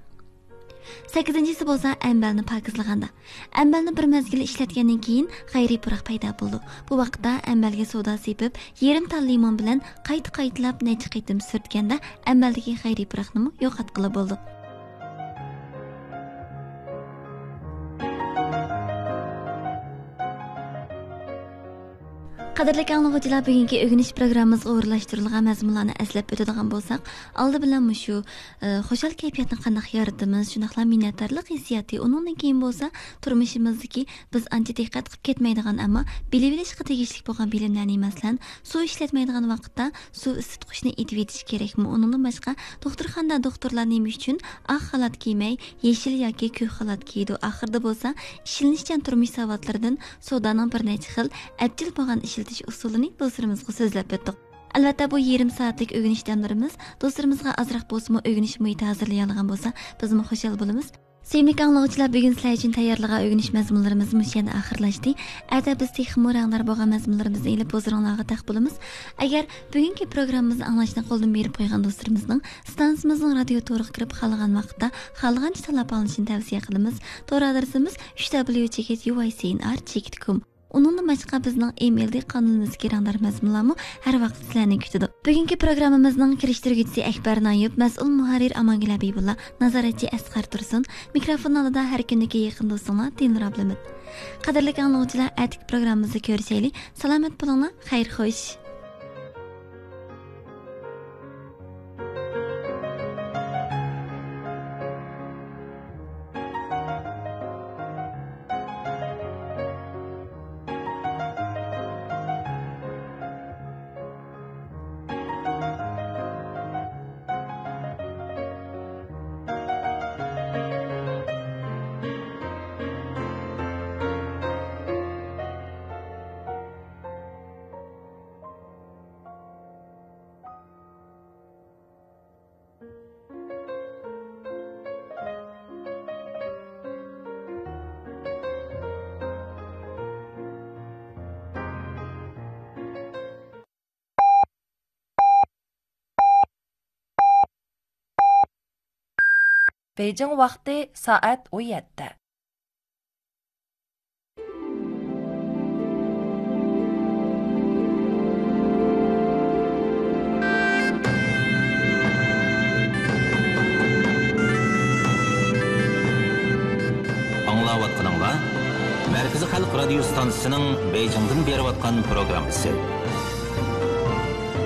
سەككىزىنچىسى بولسا ئەمبەرنى پاكىزلىغاندا. ئەمبەرنى بىر مەزگىل ئىشلەتكەندىن كېيىن غەيرىي پۇراق پەيدا بولىدۇ. بۇ ۋاقىتتا ئەمبەرگە سودا سېپىپ، يېرىم تال لىمون بىلەن قايتا-قايتىلاپ نەچچە قېتىم سۈرتكەندە، ئەمبەردىكى غەيرىي پۇراقنىمۇ يوقاتقىلى بولىدۇ. قەدىرلىك ئاڭلىغۇچىلار، بۈگۈنكى ئۆگىنىش پروگراممىمىزغا ئورۇنلاشتۇرۇلغان مەزمۇنلارنى ئەسلەپ ئۆتىدىغان بولساق، ئالدى بىلەن مۇشۇ، ئە، خۇشال كەيپىياتنى قانداق يارىتىمىز، شۇنداقلا مىننەتدارلىق ھېسسىياتى، ئۇنىڭدىن كېيىن بولسا تۇرمۇشىمىزدىكى بىز ئانچە دىققەت قىلىپ كەتمەيدىغان، ئەمما بىلىۋېلىشقا تېگىشلىك بولغان بىلىملەرنى، مەسىلەن، سۇ ئىشلەتمەيدىغان ۋاقىتتا سۇ ئىسسىتقۇچنى ئېتىۋېتىش كېرەكمۇ؟ ئۇنىڭدىن باشقا، دوختۇرخانىدا دوختۇرلار نېمە ئۈچۈن ئاق خالات كىيمەي، يېشىل ياكى كۆك خالات كىيىدۇ؟ ئاخىرىدا بولسا، ئىشلىنىشچان تۇرمۇش ساۋاتلىرىدىن سودانىڭ بىر نەچچە خىل ئەپچىل بولغان ئىشلىتىش ئۇسۇلىنى دوستلىرىمىزغا سۆزلەپ ئۆتتۇق. ئەلۋەتتە، بۇ يېرىم سائەتلىك ئۆگىنىش دەملىرىمىز دوستلىرىمىزغا ئازراق بولسىمۇ ئۆگىنىش مۇھىتى ھازىرلىيالىغان بولسا، بىزمۇ خۇشال بولىمىز. سۆيۈملۈك ئاڭلىغۇچىلار، بۈگۈن سىلەر ئۈچۈن تەييارلىغان ئۆگىنىش مەزمۇنلىرىمىز مۇشۇ يەردە ئاخىرلاشتى. ئەتە بىز تېخىمۇ رەڭدار بولغان مەزمۇنلىرىمىزنى ئېلىپ ھۇزۇرۇڭلارغا تەق بولىمىز. ئەگەر بۈگۈنكى پروگراممىمىزنى ئاڭلاشنى قولدىن بېرىپ قويغان دوستلىرىمىزنىڭ ستانسىمىزنىڭ رادىيو تورىغا كىرىپ، خالىغان ۋاقىتتا، خالىغانچە تاللاپ ئاڭلىشىنى تەۋسىيە قىلىمىز. تور ئادرېسىمىز ئۈچ دبليۇ چېكىت يۇ ئاي سى ئېن ئار چېكىت كوم. ئۇنىڭدىن باشقا، بىزنىڭ ئىمېيلدىكى قانىلىمىزدىكى رەڭدار مەزمۇنلارمۇ ھەر ۋاقىت سىلەرنى كۈتىدۇ. بۈگۈنكى پروگراممىمىزنىڭ كىرىشتۈرگۈچىسى ئەكبەر نايۇپ، مەسئۇل مۇھەررىر ئامانگۈل ھەبىبۇللا، نازارەتچى ئەسقەر تۇرسۇن، مىكروفون ئالدىدا ھەر كۈندىكى يېقىن دوستۇڭلار دىلنۇر ئابلىمىت. قەدىرلىك ئاڭلىغۇچىلار، ئەتىكى پروگراممىمىزدا كۆرۈشەيلى. سالامەت بولۇڭلار، خەير خوش. بېيجىڭ ۋاقتى سائەت ئون يەتتە. ئاڭلاۋاتقىنىڭلار مەركىزىي خەلق رادىيو ستانسىسىنىڭ بېيجىڭدىن بېرىۋاتقان پروگراممىسى.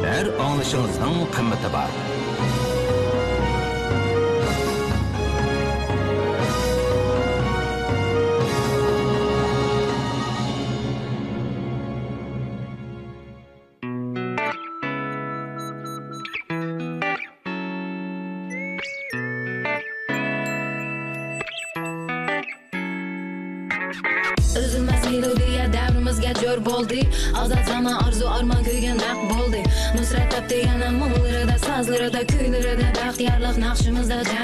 ھەر ئاڭلىشىڭىزنىڭ قىممىتى بار. ئۈزۈلمەس مېلودىيە دەۋرىمىزگە جور بولدى. ئازاد زامان، ئارزۇ، ئارمان كۆيگەن نەق بولدى. نۇسرەت تاپتى يەنە مۇڭلىرىدا، سازلىرىدا، كۈيلىرىدە، بەختىيارلىق ناخشىمىزدا جەم.